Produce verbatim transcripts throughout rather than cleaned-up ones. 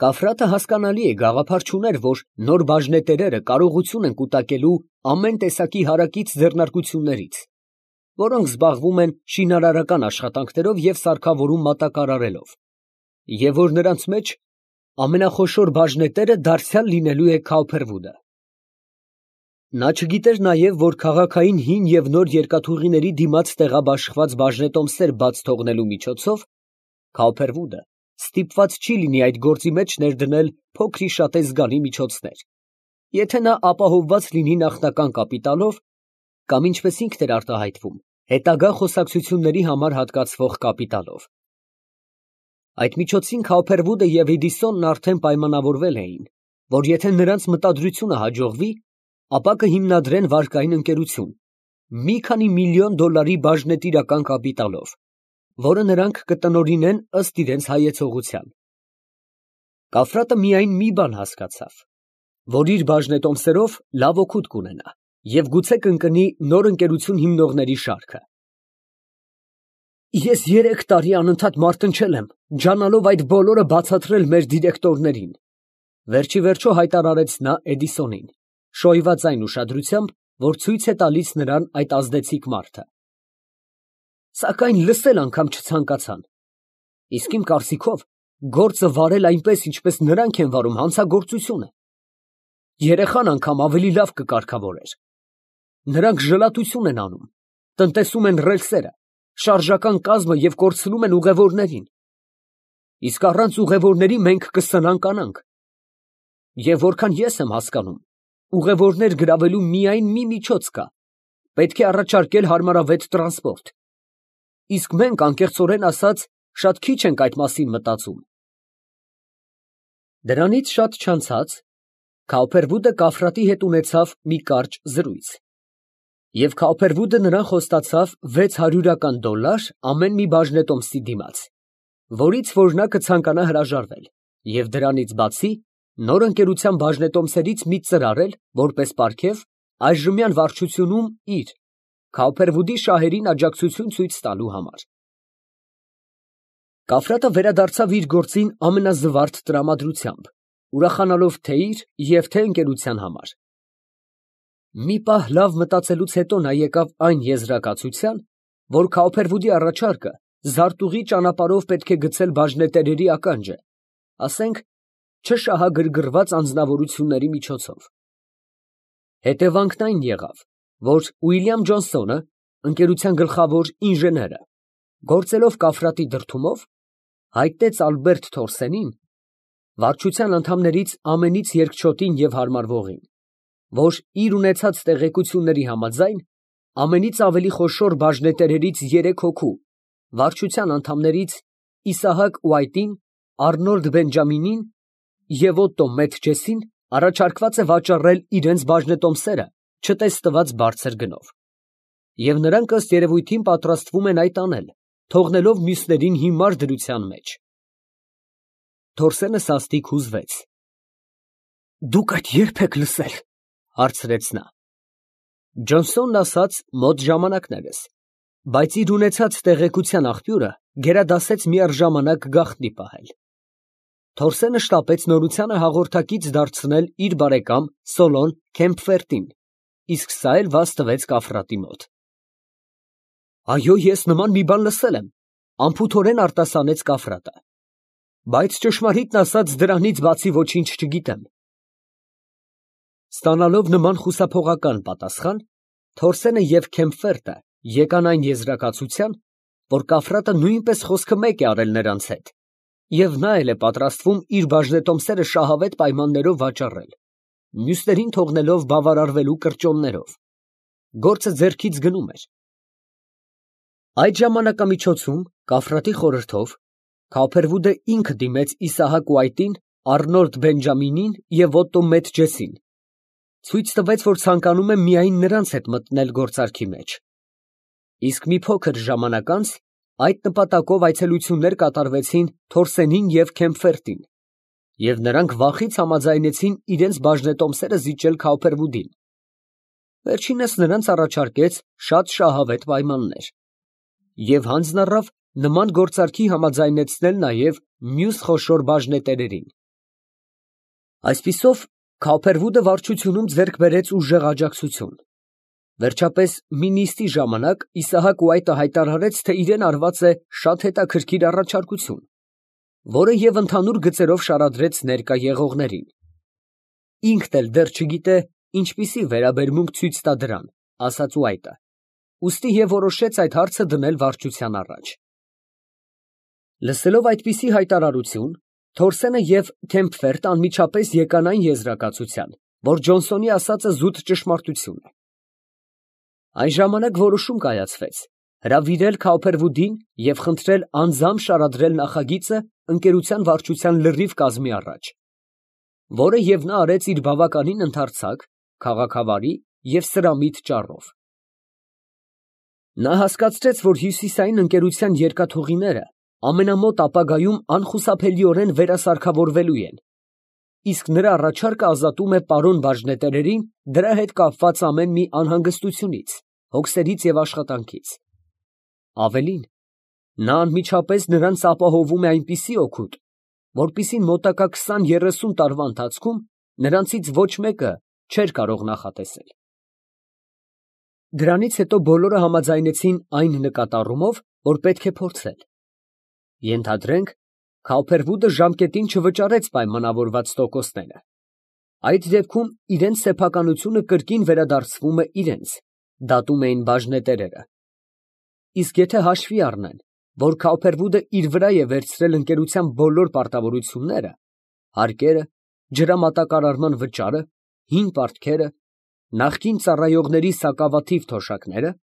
Կաֆրատը հասկանալի է, գաղափար չուներ, որ նոր բաժնետերերը կարողություն են կուտակելու ամեն տեսակի հարակից ձեռնարկություններից, որոնք զբաղվում են շինարարական աշխատանքներով և սարքավորում մատակարարելով, և որ նրանց մեջ ամենախոշոր բաժնետերը դարձյալ լինելու է Քաուփերվուդը։ Նա չգիտեր նաև, որ քաղաքային հին և նոր երկաթուղիների դիմաց տեղաբաշխված բաժնետոմսեր բաց թողնելու միջոցով Քաուփերվուդը ստիպված չի լինի այդ գործի մեջ ներդնել փոքր-ի-շատե զգալի միջոցներ, եթե նա ապահովված լինի նախնական կապիտալով կամ, ինչպես ինքն էր արտահայտվում, հետագա խոսակցությունների համար հատկացվող կապիտալով։ Այդ միջոցին Քաուփերվուդը և Էդիսոնն արդեն պայմանավորվել էին, որ եթե նրանց մտադրությունը հաջողվի, ապա կհիմնադրեն վարկային ընկերություն մի քանի միլիոն դոլարի բաժնետիրական կապիտալով, որը նրանք կտնօրինեն ըստ իրենց հայեցողության։ Կաֆրատը միայն մի բան հասկացավ, որ իր բաժնետոմսերով լավ օգուտ կունենա և գուցե կընկնի նոր ընկերություն հիմնողների շարքը։ Ես երեք տարի անընդհատ մարտնչել եմ, ջանալով այդ բոլորը բացատրել մեր դիրեկտորներին, վերջիվերջո հայտարարեց նա Էդիսոնին, շոյված այն ուշադրությամբ, որ ցույց է տալիս նրան այդ ազդեցիկ մարդը։ Սակայն լսել անգամ չցանկացան։ Իսկ իմ կարծիքով, գործը վարել այնպես, ինչպես նրանք են վարում հանցագործությունը։ Երեխան անգամ ավելի լավ կկարգավորեր։ Նրանք ժլատություն են անում, տնտեսում են ռելսերը, շարժական կազմը և կորցնում են ուղևորներին։ Իսկ առանց ուղևորների մենք կսնանկանանք։ Եվ որքան ես եմ հասկանում, ուղևորներ գրավելու միայն մի միջոց կա. պետք է առաջարկել հարմարավետ տրանսպորտ։ Իսկ մենք, անկեղծորեն ասած, շատ քիչ ենք այդ մասին մտածում։ Դրանից շատ չանցած Քաուփերվուդը Կաֆրատի հետ ունեցավ մի կարճ զրույց, և Քաուփերվուդը նրան խոստացավ վեց հարյուրական դոլար ամեն մի բաժնետոմսի դիմաց, որից որ նա կցանկանա հրաժարվել, և դրանից բացի նոր ընկերության բաժնետոմսերից մի ծրար էլ, որպես պարգև, այժմյան վարչությունում իր՝ Քաուփերվուդի շահերին աջակցություն ցույց տալու համար։ Կաֆրատը վերադարձավ իր գործին ամենազվարթ տրամադրությամբ, ուրախանալով թե՛ իր և թե՛ ընկերության համար։ Մի պահ լավ մտածելուց հետո նա եկավ այն եզրակացության, որ Քաուփերվուդի առաջարկը զարտուղի ճանապարհով պետք է գցել բաժնետերերի ականջը, ասենք, չշահագրգռված անձնավորությունների միջոցով։ Հետևանքն այն եղավ, որ Ուիլյամ Ջոնսոնը, ընկերության գլխավոր ինժեները, գործելով Կաֆրատի դրդումով, հայտնեց Ալբերտ Թորսենին, վարչության անդամներից ամենից երկչոտին և հարմարվողին, որ իր ունեցած տեղեկությունների համաձայն, ամենից ավելի խոշոր բաժնետերերից երեք հոգու, վարչության անդամներից Իսահակ Ուայտին, Առնոլդ Բենջամինին և Օտտո Մեթջեսին առաջարկված է վաճառել իրենց բաժնետոմսերը չտեսնված բարձր գնով, և նրանք ըստ երևույթին պատրաստվում են այդ անել, թողնելով մյուսներին հիմար դրության մեջ։ Թորսենը սաստիկ հուզվեց։ ֊ Դուք այդ ե՞րբ եք լսել, ֊ հարցրեց նա։ Ջոնսոնն ասաց մոտ ժամանակներս, բայց իր ունեցած տեղեկության աղբյուրը գերադասեց միառժամանակ գաղտնի պահել։ Թորսենը շտապեց նորությանը հաղորդակից դարձնել իր բարեկամ Սոլոն Քեմփֆերտին, իսկ սա էլ վազ տվեց Կաֆրատի մոտ։ ֊ Այո, ես նման մի բան լսել եմ, ֊ անփութորեն արտասանեց Կաֆրատը, ֊ բայց ճշմարիտն ասած, դրանից բացի ոչինչ չգիտեմ։ Ստանալով նման խուսափողական պատասխան, Թորսենը և Քեմփֆերտը եկան այն եզրակացության, որ Կաֆրատը նույնպես խոսքը մեկ է արել նրանց հետ, և նա էլ է պատրաստվում իր բաժնետոմսերը շահավետ պայմաններով վաճառել, մյուսներին թողնելով բավարարվելու կրճոններով։ Գործը ձեռքից գնում էր։ Այդ ժամանակամիջոցում, Կաֆրատի խորհրդով, Քաուփերվուդը ինքը դիմեց Իսահակ Ուայտին, Առնոլդ Բենջամինին և Օտտո Մեթջեսին, ցույց տվեց, որ ցանկանում է միայն նրանց հետ մտնել գործարքի մեջ։ Իսկ մի փոքր ժամանակ անց այդ նպատակով այցելություններ կատարվեցին Թորսենին և Քեմփֆերտին, և նրանք վախից համաձայնեցին իրենց բաժնետոմսերը զիջել Քաուփերվուդին։ Վերջինս նրանց առաջարկեց շատ շահավետ պայմաններ և հանձն առավ նման գործարքի համաձայնեցնել նաև մյուս խոշոր բաժնետերերին։ Այսպիսով Քոփերվուդը վարչությունում ձեռք բերեց ուժեղ աջակցություն։ Վերջապես մի նիստի ժամանակ Իսահակ Ուայտը հայտարարեց, թե իրեն արված է շատ հետաքրքիր առաջարկություն, որը և ընդհանուր գծերով շարադրեց ներկա եղողներին։ Ինքն էլ դեռ չգիտե ինչպիսի վերաբերմունք ցույց տա դրան, ասաց Ուայտը, ուստի և որոշեց այդ հարցը դնել վարչության առաջ։ Լսելով այդպիսի հայտարարություն, Թորսենը և Քեմփֆերտը անմիջապես եկան այն եզրակացության, որ Ջոնսոնի ասածը զուտ ճշմարտություն է։ Այն ժամանակ որոշում կայացվեց հրավիրել Քոփերվուդին և խնդրել անձամբ շարադրել նախագիծը ընկերության վարչության լրիվ կազմի առաջ, որը և նա արեց իր բավականին ընդարձակ, քաղաքավարի և սրամիտ ճառով։ Նա հասկացրեց, որ հյուսիսային ընկերության երկաթուղիները ամենամոտ ապագայում անխուսափելիորեն վերասարքավորվելու են, իսկ նրա առաջարկը ազատում է պարոն բաժնետերերին դրա հետ կապված ամեն մի անհանգստությունից, հոգսերից և աշխատանքից։ Ավելին, նա անմիջապես նրանց ապահովում է այնպիսի օգուտ, որպիսին մոտակա քսան֊երեսուն տարվա ընթացքում նրանցից ոչ մեկը չէր կարող նախատեսել։ Դրանից հետո բոլորը համաձայնեցին այն նկատառումով, որ պետք է փորձել։ Ենթադրենք, Քոփերվուդը ժամկետին չվճարեց պայմանավորված տոկոսները։ Այդ դեպքում իրենց սեփականությունը կրկին վերադարձվում է իրենց, դատում էին բաժնետերերը։ Իսկ եթե հաշվի առնեն, որ Քոփերվուդը իր վրա է վերցրել ընկերության բոլոր պարտավորությունները, հարկերը, ջրամատակարարման վճարը, հին պարտքերը, նախկին ծառայողների սակավաթիվ թոշակները,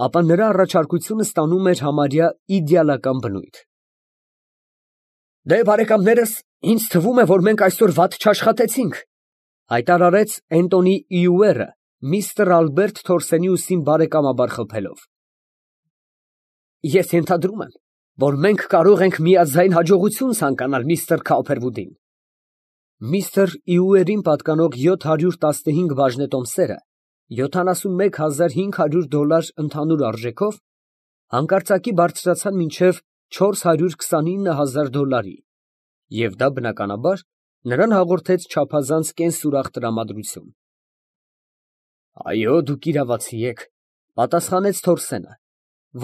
ապա նրա առաջարկությունը ստանում էր համարյա իդեալական բնույթ։ «Դե, բարեկամներս, ինձ թվում է, որ մենք այսօր վատ չաշխատեցինք», հայտարարեց Էնտոնի Իուերը, միստր Ալբերտ Թորսենի ուսին բարեկամաբար խփելով։ «Ես ենթադրում եմ, որ մենք կարող ենք միաձայն հաջողություն ցանկանալ միստր Քոփերվուդին»։ Միստր Իուերին պատկանող յոթ հարյուր տասնհինգ բաժնետոմսերը յոթանասունմեկ հազար հինգ հարյուր դոլար ընդհանուր արժեքով հանկարծակի բարձրացան մինչև չորս հարյուր քսանինը հազար դոլարի, և դա, բնականաբար, նրան հաղորդեց չափազանց կենսուրախ տրամադրություն։ «Այո, դուք իրավացի եք», ֊ պատասխանեց Թորսենը,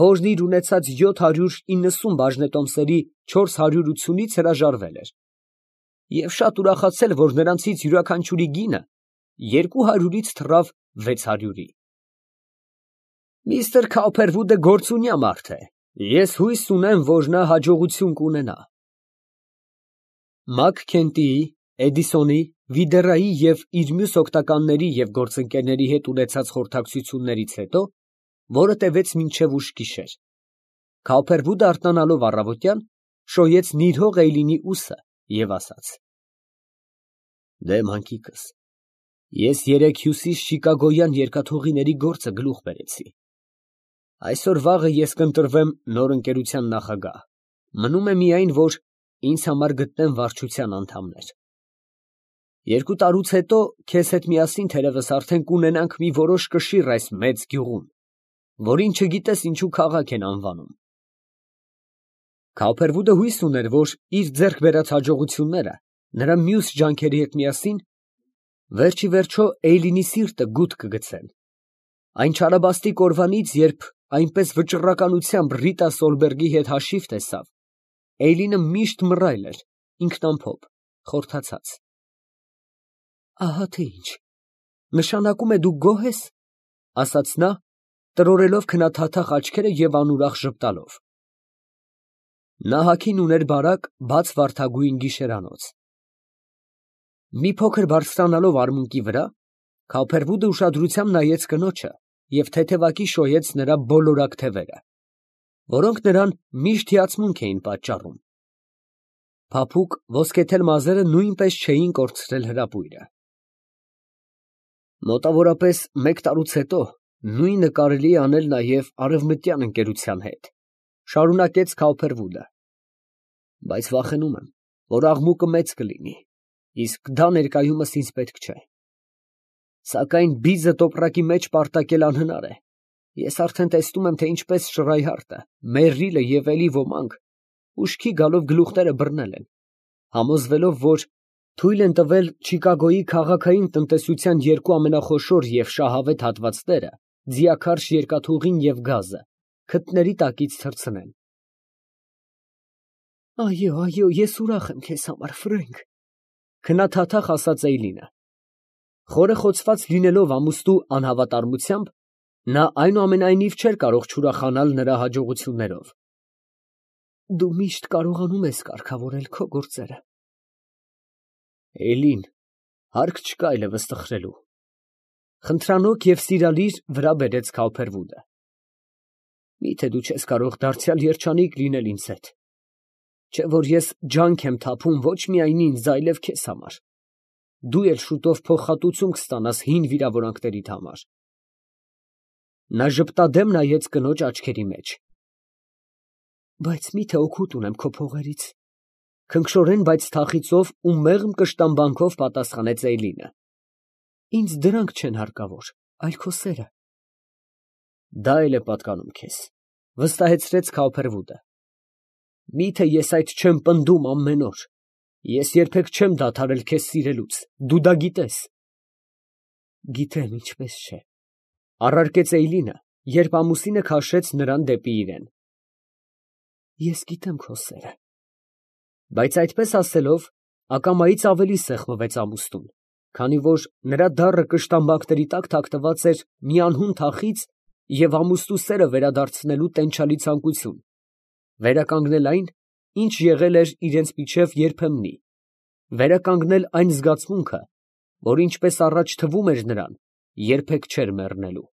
որն իր ունեցած յոթ հարյուր իննսուն բաժնետոմսերի չորս հարյուրությունից հրաժարվել էր, և շատ ուրախացել, որ նրանցից յուրաքանչյուրի գինը երկու հարյուրից թռավ վեց հարյուրի։ «Միստր Քոփերվուդը գործունյա մարդ է, ես հույս ունեմ, որ նա հաջողություն կունենա»։ Մաքքենթիի, Էդիսոնի, Վիդերայի և իր մյուս օգնականների և գործընկերների հետ ունեցած խորհրդակցություններից հետո, որը տևեց մինչև ուշ գիշեր, Քոփերվուդը արթնանալով առավոտյան, շոյեց նիրհող Էյլինի ուսը և ասաց. «Դե, մանկիկս, ես երեկ հյուսիսչիկագոյան երկաթուղիների գործը գլուխ բերեցի։ Այսօր֊վաղը ես կընտրվեմ նոր ընկերության նախագահ, մնում է միայն, որ ինձ համար գտնեմ վարչության անդամներ։ Երկու տարուց հետո քեզ հետ միասին թերևս արդեն կունենանք մի որոշ կշիռ այս մեծ գյուղում, որին չգիտես ինչու քաղաք են անվանում»։ Քոփերվուդը հույս ուներ, որ իր ձեռք բերած հաջողությունները նրա մյուս ջանքերի հետ միասին վերջ ի վերջո Էյլինի սիրտը գութ կգցեն։ Այն չարաբաստիկ օրվանից, երբ այնպես վճռականությամբ Ռիտա Սոլբերգի հետ հաշիվ տեսավ, Էյլինը միշտ մռայլ էր, ինքնամփոփ, խորթացած։ «Ահա թե ինչ, նշանակում է դու գոհ ես», ֊ ասաց նա, տրորելով քնաթաթախ աչքերը և անուրախ ժպտալով։ Նա հագին ուներ բարակ, բաց վարդագույն գիշերանոց։ Մի փոքր բարձրանալով արմունկի վրա, Քոփերվուդը ուշադրությամբ նայեց կնոջը և թեթևակի շոյեց նրա բոլորակ թևերը, որոնք նրան միշտ հիացմունք էին պատճառում։ Փափուկ ոսկեթել մազերը նույնպես չէին կորցրել հրապույրը։ «Մոտավորապես մեկ տարուց հետո նույնը կարելի է անել նաև արևմտյան ընկերության հետ», ֊ շարունակեց Քոփերվուդը, «բայց վախենում եմ, որ աղմուկը մեծ կլինի, իսկ դա ներկայումս ինձ պետք չէ։ Սակայն բիզը տոպրակի մեջ պարտակել անհնար է, ես արդեն տեսնում եմ, թե ինչպես Շրայհարտը, Մերրիլը և էլի ոմանք ուշքի գալով գլուխները բռնել են, համոզվելով, որ Թույլ են տվել Չիկագոյի քաղաքային տնտեսության երկու ամենախոշոր և շահավետ հատվածները՝ ձիաքարշ երկաթուղին և գազը, քթների տակից թռցնեն։ Այո, այո, ես ուրախ եմ քեզ համար, Ֆրենք, քնաթաթախ ասաց Էյլինը։ Խորը խոցված լինելով ամուսնու անհավատարմությամբ, նա այնուամենայնիվ չէր կարող չուրախանալ նրա հաջողություններով։ Դու միշտ կարողանում ես կարգավորել քո գործերը։ Էլին, հարկ չկա այլևս տխրելու։ Խնդրանոք և սիրալիր վրա բերեց Քալփերվուդը։ Միթե դու չես կարող դարձյալ երջանիկ լինել ինձ հետ, չէ որ ես ջանք եմ թափում ոչ միայն ինձ, այլև քեզ համար, դու էլ շուտով փոխհատուցում կստանաս հին վիրավորանքներիդ համար։ Նա ժպտադեմ նայեց կնոջ աչքերի մեջ։ Բայց միթե օգուտ ունեմ քո փողերից, քնքշորեն, բայց թախիծով ու մեղմ կշտամբանքով պատասխանեց Էյլինը։ Ինձ դրանք չեն հարկավոր, այլ քո սերը։ Դա էլ է պատկանում քեզ, վստահեցրեց Քալփերվուդը։ Միթե ես այդ չեմ պնդում ամեն օր, ես երբեք չեմ դադարել քեզ սիրելուց, դու դա գիտես։ Գիտեմ, ինչպես չէ, առարկեց Էյլինը, երբ ամուսինը քաշեց նրան դեպի իրեն։ Ես գիտեմ քո սերը։ Բայց այդպես ասելով, ակամայից ավելի սեղմվեց ամուսնուն, քանի որ նրա դառը կշտամբանքների տակ թաքնված էր մի անհուն թախիծ և ամուսնու սերը վերադարձնելու տենչալի ցանկություն, վերականգնել այն, ինչ եղել էր իրանց միջև երբեմնի, վերականգնել այն զգացմունքը, որ ինչպես առաջ թվում էր նրան, երբեք չէր մեռնելու։